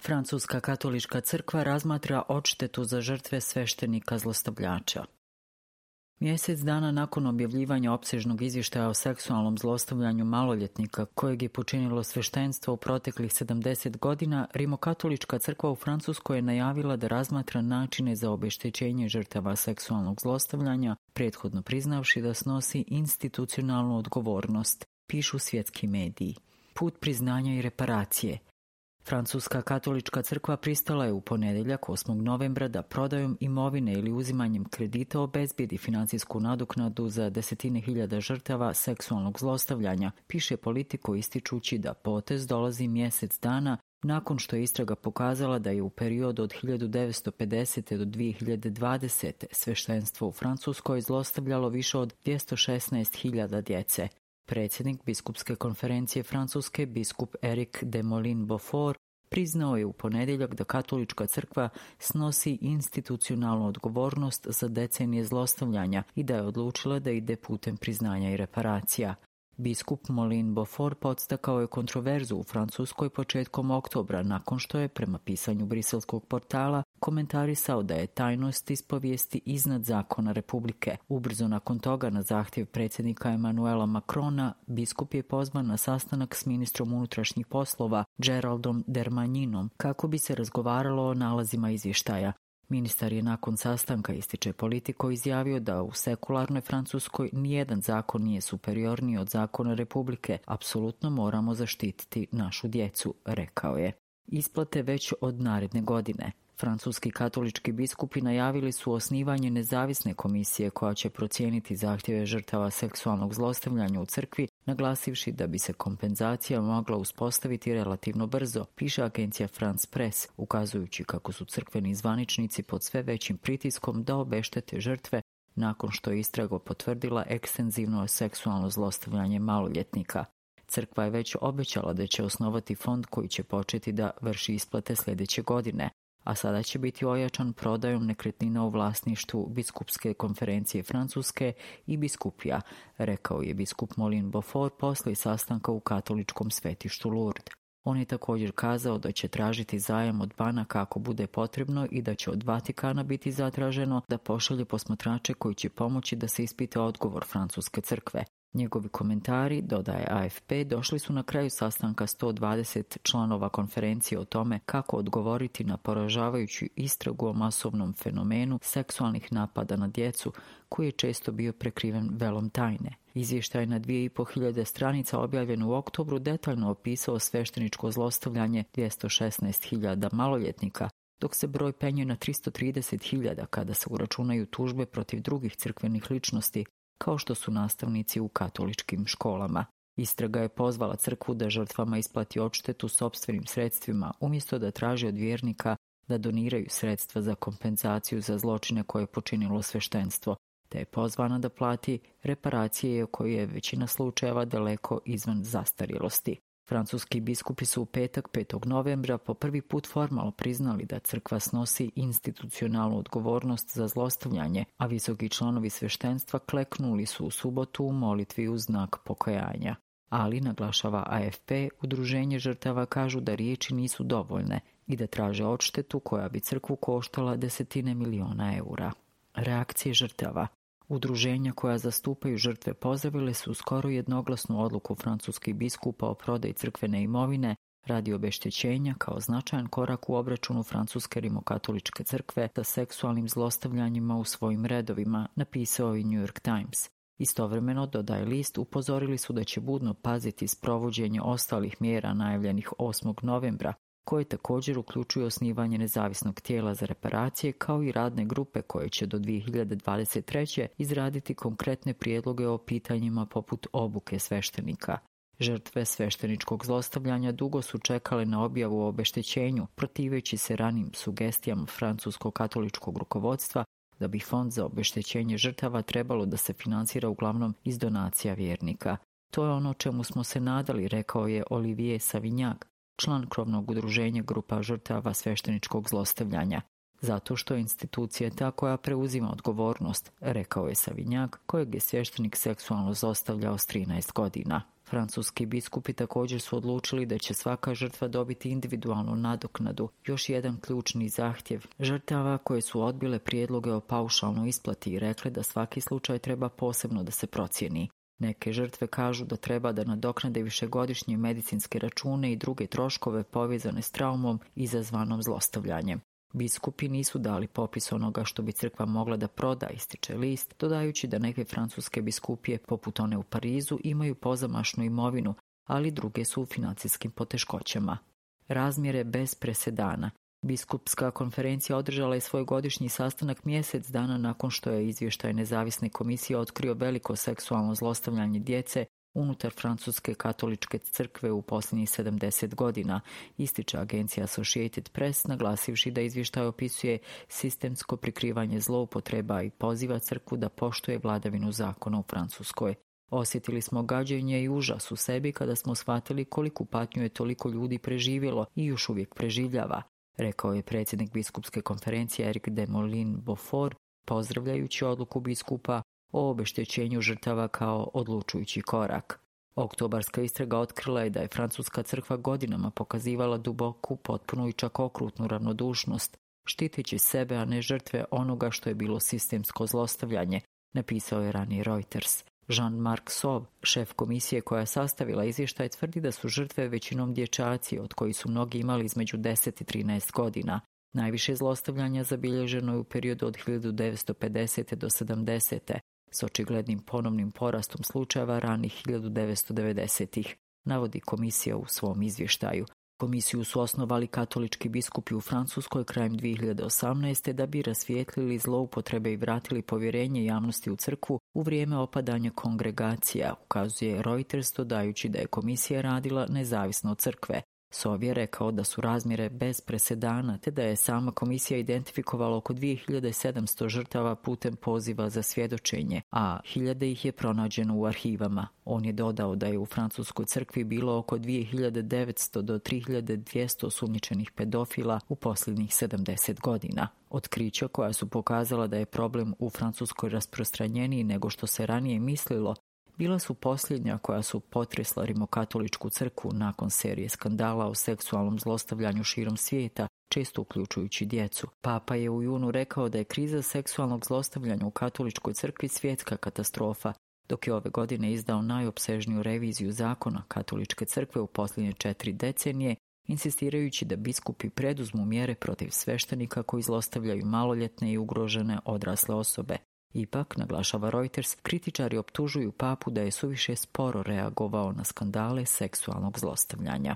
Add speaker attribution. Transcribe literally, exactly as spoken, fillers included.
Speaker 1: Francuska katolička crkva razmatra odštetu za žrtve sveštenika zlostavljača. Mjesec dana nakon objavljivanja opsežnog izvještaja o seksualnom zlostavljanju maloljetnika kojeg je počinilo sveštenstvo u proteklih sedamdeset godina, Rimokatolička crkva u Francuskoj je najavila da razmatra načine za obeštećenje žrtava seksualnog zlostavljanja, prethodno priznavši da snosi institucionalnu odgovornost, pišu svjetski mediji. Put priznanja i reparacije. Francuska katolička crkva pristala je u ponedjeljak osmog novembra da prodajom imovine ili uzimanjem kredita obezbijedi financijsku nadoknadu za desetine hiljada žrtava seksualnog zlostavljanja, piše Politico ističući da potez dolazi mjesec dana nakon što je istraga pokazala da je u periodu od hiljadu devetsto pedesete do dvije hiljade dvadesete sveštenstvo u Francuskoj zlostavljalo više od dvjesto šesnaest hiljada djece. Predsjednik biskupske konferencije Francuske, biskup Eric de Molin-Beaufort, priznao je u ponedjeljak da katolička crkva snosi institucionalnu odgovornost za decenije zlostavljanja i da je odlučila da ide putem priznanja i reparacija. Biskup Molin-Beaufort podstakao je kontroverzu u Francuskoj početkom oktobra nakon što je, prema pisanju briselskog portala, komentarisao da je tajnost ispovijesti iznad zakona Republike. Ubrzo nakon toga, na zahtjev predsjednika Emmanuela Macrona, biskup je pozvan na sastanak s ministrom unutrašnjih poslova Geraldom Darmaninom kako bi se razgovaralo o nalazima izvještaja. Ministar je nakon sastanka, ističe Politico, izjavio da u sekularnoj Francuskoj nijedan zakon nije superiorniji od zakona Republike. Apsolutno moramo zaštititi našu djecu, rekao je. Isplate već od naredne godine. Francuski katolički biskupi najavili su osnivanje nezavisne komisije koja će procijeniti zahtjeve žrtava seksualnog zlostavljanja u crkvi, naglasivši da bi se kompenzacija mogla uspostaviti relativno brzo, piše agencija France Press, ukazujući kako su crkveni zvaničnici pod sve većim pritiskom da obeštete žrtve nakon što je istraga potvrdila ekstenzivno seksualno zlostavljanje maloljetnika. Crkva je već obećala da će osnovati fond koji će početi da vrši isplate sljedeće godine, a sada će biti ojačan prodajom nekretnina u vlasništvu biskupske konferencije Francuske i biskupija, rekao je biskup Molin-Beaufort poslije sastanka u katoličkom svetištu Lourdes. On je također kazao da će tražiti zajam od banaka ako bude potrebno i da će od Vatikana biti zatraženo da pošalje posmatrače koji će pomoći da se ispita odgovor francuske crkve. Njegovi komentari, dodaje A F P, došli su na kraju sastanka sto dvadeset članova konferencije o tome kako odgovoriti na poražavajuću istragu o masovnom fenomenu seksualnih napada na djecu koji je često bio prekriven velom tajne. Izvještaj na dvije i po hiljade stranica objavljen u oktobru detaljno opisao svešteničko zlostavljanje dvjesto šesnaest hiljada maloljetnika, dok se broj penje na tristo trideset hiljada kada se uračunaju tužbe protiv drugih crkvenih ličnosti, kao što su nastavnici u katoličkim školama. Istraga je pozvala crkvu da žrtvama isplati odštetu sopstvenim sredstvima, umjesto da traži od vjernika da doniraju sredstva za kompenzaciju za zločine koje je počinilo sveštenstvo, te je pozvana da plati reparacije koje je većina slučajeva daleko izvan zastarjelosti. Francuski biskupi su u petak petog novembra po prvi put formalno priznali da crkva snosi institucionalnu odgovornost za zlostavljanje, a visoki članovi sveštenstva kleknuli su u subotu u molitvi u znak pokajanja. Ali, naglašava A F P, udruženje žrtava kažu da riječi nisu dovoljne i da traže odštetu koja bi crkvu koštala desetine miliona eura. Reakcije žrtava. Udruženja koja zastupaju žrtve pozdravile su skoro jednoglasnu odluku francuskih biskupa o prodaji crkvene imovine radi obeštećenja kao značajan korak u obračunu francuske rimokatoličke crkve sa seksualnim zlostavljanjima u svojim redovima, napisao i New York Times. Istovremeno, dodaje list, upozorili su da će budno paziti sprovođenje ostalih mjera najavljenih osmog novembra, koje također uključuju osnivanje nezavisnog tijela za reparacije kao i radne grupe koje će do dvije hiljade dvadeset treće izraditi konkretne prijedloge o pitanjima poput obuke sveštenika. Žrtve svešteničkog zlostavljanja dugo su čekale na objavu o obeštećenju, protiveći se ranim sugestijama francuskog katoličkog rukovodstva da bi fond za obeštećenje žrtava trebalo da se financira uglavnom iz donacija vjernika. To je ono čemu smo se nadali, rekao je Olivier Savignac, član krovnog udruženja grupa žrtava svešteničkog zlostavljanja. Zato što je institucija ta koja preuzima odgovornost, rekao je Savignac, kojeg je sveštenik seksualno zlostavljao s trinaest godina. Francuski biskupi također su odlučili da će svaka žrtva dobiti individualnu nadoknadu, još jedan ključni zahtjev žrtava koje su odbile prijedloge o paušalnoj isplati i rekle da svaki slučaj treba posebno da se procijeni. Neke žrtve kažu da treba da nadoknade višegodišnje medicinske račune i druge troškove povezane s traumom izazvanom zlostavljanjem. Biskupi nisu dali popis onoga što bi crkva mogla da proda, ističe list, dodajući da neke francuske biskupije, poput one u Parizu, imaju pozamašnu imovinu, ali druge su u financijskim poteškoćama. Razmjere bez presedana. Biskupska konferencija održala je svoj godišnji sastanak mjesec dana nakon što je izvještaj nezavisne komisije otkrio veliko seksualno zlostavljanje djece unutar Francuske katoličke crkve u posljednjih sedamdeset godina, ističe agencija Associated Press, naglasivši da izvještaj opisuje sistemsko prikrivanje zloupotreba i poziva crkvu da poštuje vladavinu zakona u Francuskoj. Osjetili smo gađenje i užas u sebi kada smo shvatili koliku patnju je toliko ljudi preživjelo i još uvijek preživljava, rekao je predsjednik biskupske konferencije Eric de Molin-Beaufort, pozdravljajući odluku biskupa o obeštećenju žrtava kao odlučujući korak. Oktobarska istraga otkrila je da je Francuska crkva godinama pokazivala duboku, potpunu i čak okrutnu ravnodušnost, štiteći sebe, a ne žrtve onoga što je bilo sistemsko zlostavljanje, napisao je ranije Reuters. Jean-Marc Sauve, šef komisije koja je sastavila izvještaj, tvrdi da su žrtve većinom dječaci, od kojih su mnogi imali između deset i trinaest godina. Najviše zlostavljanja zabilježeno je u periodu od hiljadu devetsto pedesete do sedamdesete s očiglednim ponovnim porastom slučajeva ranih hiljadu devetsto devedesetih, navodi komisija u svom izvještaju. Komisiju su osnovali katolički biskupi u Francuskoj krajem dvije hiljade osamnaeste da bi rasvijetlili zloupotrebe i vratili povjerenje javnosti u crkvu u vrijeme opadanja kongregacija, ukazuje Reuters, dodajući da je komisija radila nezavisno od crkve. Sauve je rekao da su razmjere bez presedana, te da je sama komisija identifikovala oko dvije hiljade sedamsto žrtava putem poziva za svjedočenje, a hiljade ih je pronađeno u arhivama. On je dodao da je u Francuskoj crkvi bilo oko dvije hiljade devetsto do tri hiljade dvjesto osumnjičenih pedofila u posljednjih sedamdeset godina. Otkrića koja su pokazala da je problem u Francuskoj rasprostranjeniji nego što se ranije mislilo, bila su posljednja koja su potresla rimokatoličku crkvu nakon serije skandala o seksualnom zlostavljanju širom svijeta, često uključujući djecu. Papa je u junu rekao da je kriza seksualnog zlostavljanja u katoličkoj crkvi svjetska katastrofa, dok je ove godine izdao najopsežniju reviziju zakona katoličke crkve u posljednje četiri decenije, insistirajući da biskupi preduzmu mjere protiv sveštenika koji zlostavljaju maloljetne i ugrožene odrasle osobe. Ipak, naglašava Reuters, kritičari optužuju papu da je suviše sporo reagovao na skandale seksualnog zlostavljanja.